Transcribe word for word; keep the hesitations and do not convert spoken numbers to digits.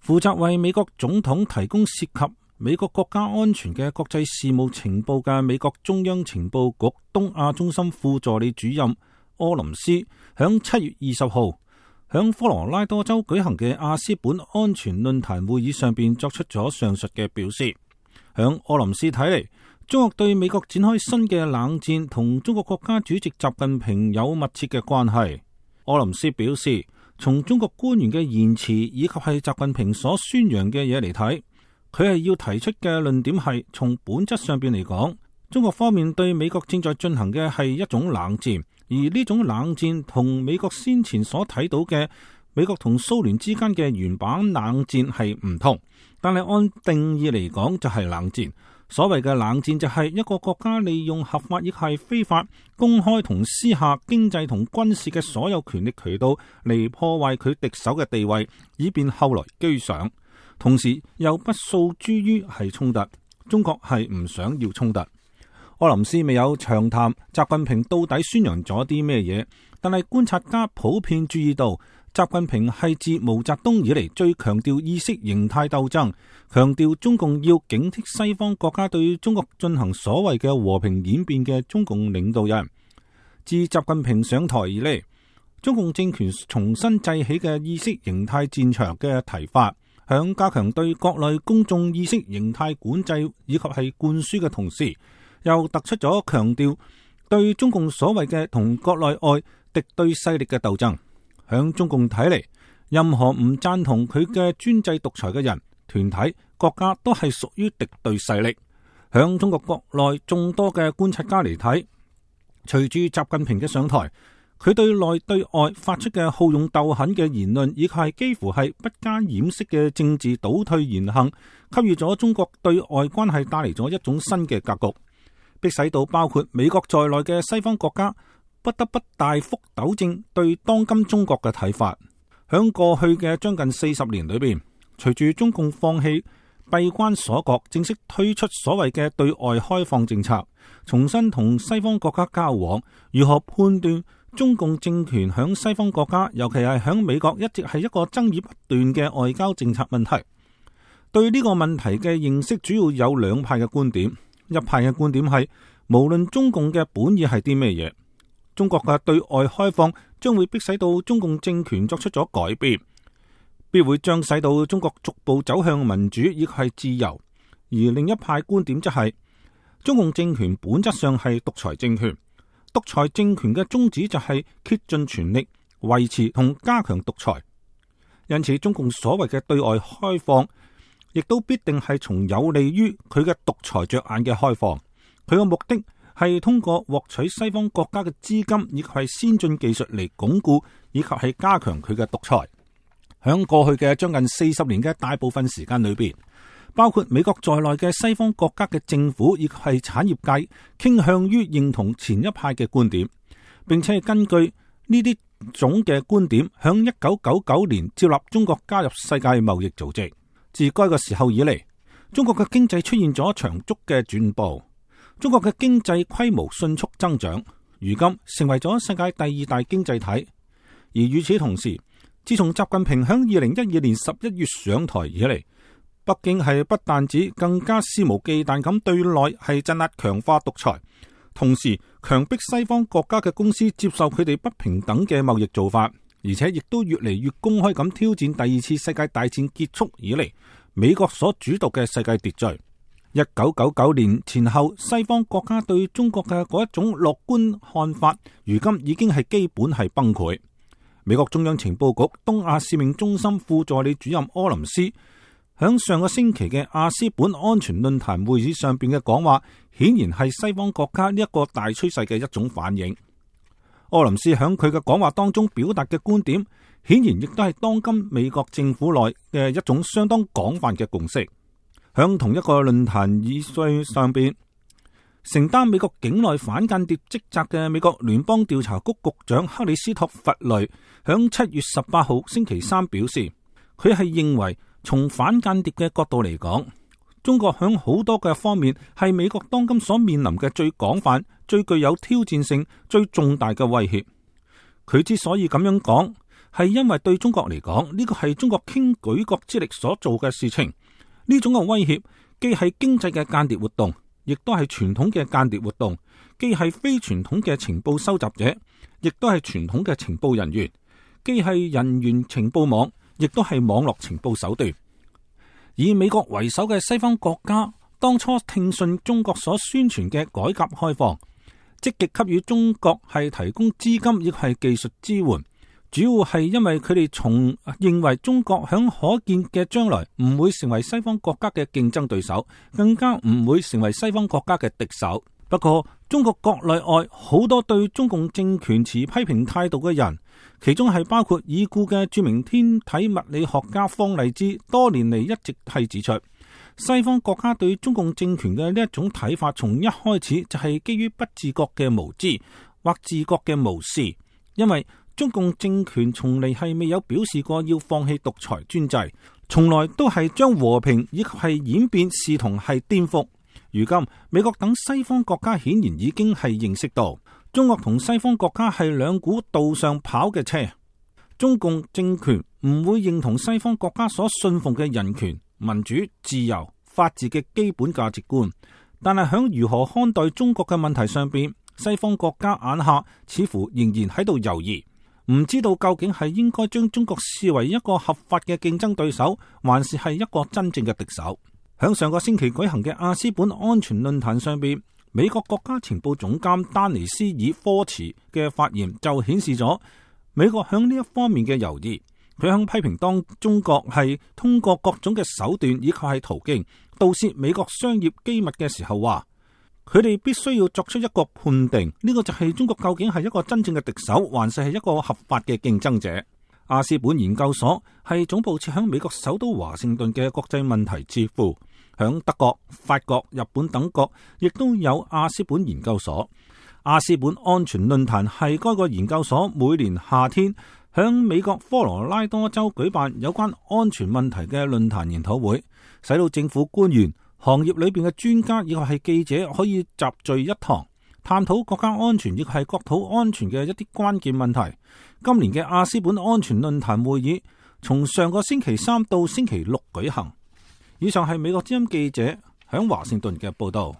負責為美國總統提供涉及美國國家安全嘅國際事務情報嘅美國中央情報局東亞中心副助理主任柯林斯，響七月二十號響科羅拉多州舉行嘅亞斯本安全論壇會議上邊作出咗上述嘅表示。響柯林斯睇嚟，中國對美國展開新嘅冷戰同中國國家主席習近平有密切嘅關係。柯林斯表示，從中國官員嘅言辭以及係習近平所宣揚嘅嘢嚟睇，佢係要提出嘅論點係從本質上邊嚟講，中國方面對美國正在進行嘅係一種冷戰。而呢種冷戰同美國先前所睇到嘅美國同蘇聯之間嘅原版冷戰係唔同，但係按定義嚟講就係冷戰。所謂嘅冷戰就係一個國家利用合法亦係非法、公開同私下經濟同軍事嘅所有權力渠道嚟破壞佢敵手嘅地位，以便後來居上，同時又不訴諸於係衝突。中國係唔想要衝突。柯林斯未有長談習近平到底宣揚咗啲咩嘢，但係觀察家普遍注意到，習近平係自毛澤東以嚟最強調意識形態鬥爭，強調中共要警惕西方國家對中國進行所謂嘅和平演變嘅中共領導人。自習近平上台以嚟，中共政權重新製起嘅意識形態戰場嘅提法，響加強對國內公眾意識形態管制以及係灌輸嘅同時，又突出咗強調對中共所謂嘅同國內外敵對勢力嘅鬥爭。響中共睇嚟，任何唔贊同佢嘅專制獨裁嘅人、團體、國家都係屬於敵對勢力。響中國國內眾多嘅觀察家嚟睇，隨住習近平嘅上台，佢對內對外發出嘅好勇鬥狠嘅言論，以及係幾乎係不加掩飾嘅政治倒退言行，給予咗中國對外關係帶嚟咗一種新嘅格局，迫使到包括美國在內嘅西方國家不得不大幅糾正對當今中國嘅睇法。響過去嘅將近四十年裏邊，隨住中共放棄閉關鎖國，正式推出所謂嘅對外開放政策，重新同西方國家交往，如何判斷中共政權響西方國家，尤其係響美國，一直係一個爭議不斷嘅外交政策問題。對呢個問題嘅認識主要有兩派嘅觀點。一派嘅觀點係，無論中共嘅本意係啲咩嘢，中國嘅對外開放將會迫使到中共政權作出咗改變，必會將使到中國逐步走向民主亦係自由。而另一派觀點則係，中共政權本質上係獨裁政權，獨裁政權嘅宗旨就係竭盡全力維持同加強獨裁。因此，中共所謂嘅對外開放，亦都必定係從有利於佢嘅獨裁着眼嘅開放。佢嘅目的係通過獲取西方國家嘅資金以及係先進技術嚟鞏固以及係加強佢嘅獨裁。響過去嘅將近四十年嘅大部分時間裏邊，包括美國在內嘅西方國家嘅政府以及係產業界傾向於認同前一派嘅觀點，並且係根據呢啲種嘅觀點，響一九九九年接納中國加入世界貿易組織。自該個時候以嚟，中國嘅經濟出現咗長足嘅轉步，中國嘅經濟規模迅速增長，如今成為咗世界第二大經濟體。而與此同時，自從習近平響二零一二年十一月上台以嚟，北京係不但止更加肆無忌憚咁對內係鎮壓強化獨裁，同時強迫西方國家嘅公司接受佢哋不平等嘅貿易做法。而且亦都越嚟越公開咁挑戰第二次世界大戰結束以嚟美國所主導嘅世界秩序。一九九九年前後，西方國家對中國嘅嗰一種樂觀看法，如今已經係基本係崩潰。美國中央情報局東亞使命中心副助理主任柯林斯響上個星期嘅亞斯本安全論壇會議上邊嘅講話，顯然係西方國家呢一個大趨勢嘅一種反應。柯林斯響佢嘅講話當中表達嘅觀點，顯然亦都係當今美國政府內嘅一種相當廣泛嘅共識。響同一個論壇議會上邊，承擔美國境內反間諜職責嘅美國聯邦調查局局長克里斯托弗雷響七月十八號星期三表示，佢係認為從反間諜嘅角度嚟講，中國響好多嘅方面係美國當今所面臨嘅最廣泛、最具有挑戰性、最重大嘅威脅。佢之所以咁樣講，係因為對中國嚟講，呢個係中國傾舉國之力所做嘅事情。呢種嘅威脅既係經濟嘅間諜活動，亦都係傳統嘅間諜活動，既係非傳統嘅情報收集者，亦都係傳統嘅情報人員，既係人員情報網，亦都係網絡情報手段。以美國為首嘅西方國家當初聽信中國所宣傳嘅改革開放，積極給予中國係提供資金亦係技術支援，主要係因為佢哋從認為中國響可見嘅將來唔會成為西方國家嘅競爭對手，更加唔會成為西方國家嘅敵手。不過中國國內外好多對中共政權持批評態度嘅人，其中係包括已故嘅著名天體物理學家方勵之，多年嚟一直係指出，西方國家對中共政權嘅呢一種睇法，從一開始就係基於不自覺嘅無知或自覺嘅無視，因為中共政權從嚟係未有表示過要放棄獨裁專制，從來都係將和平以及係演變視同係顛覆。如今美國等西方國家顯然已經係認識到，中國同西方國家係兩股道上跑嘅車。中共政權唔會認同西方國家所信奉嘅人權、民主、自由、法治嘅基本價值觀，但係響如何看待中國嘅問題上邊，西方國家眼下似乎仍然喺度猶豫，唔知道究竟係應該將中國視為一個合法嘅競爭對手，還是係一個真正嘅敵手。響上個星期舉行嘅阿斯本安全論壇上邊，美國國家情報總監丹尼斯爾科茨嘅發言就顯示咗美國響呢一方面嘅猶豫。佢響批評當中國係通過各種嘅手段以及係途徑盜竊美國商業機密嘅時候，話佢哋必須要作出一個判定，呢、這個就係中國究竟係一個真正嘅敵手，還是係一個合法嘅競爭者。阿斯本研究所係總部設響美國首都華盛頓嘅國際問題智庫，響德國、法國、日本等國亦都有阿斯本研究所。阿斯本安全論壇係該個研究所每年夏天響美國科羅拉多州舉辦有關安全問題嘅論壇研討會，使到政府官員、行業裏邊嘅專家以及係記者可以集聚一堂，探討國家安全亦係國土安全嘅一啲關鍵問題。今年嘅阿斯本安全論壇會議從上個星期三到星期六舉行。以上係美國之音記者響華盛頓嘅報道。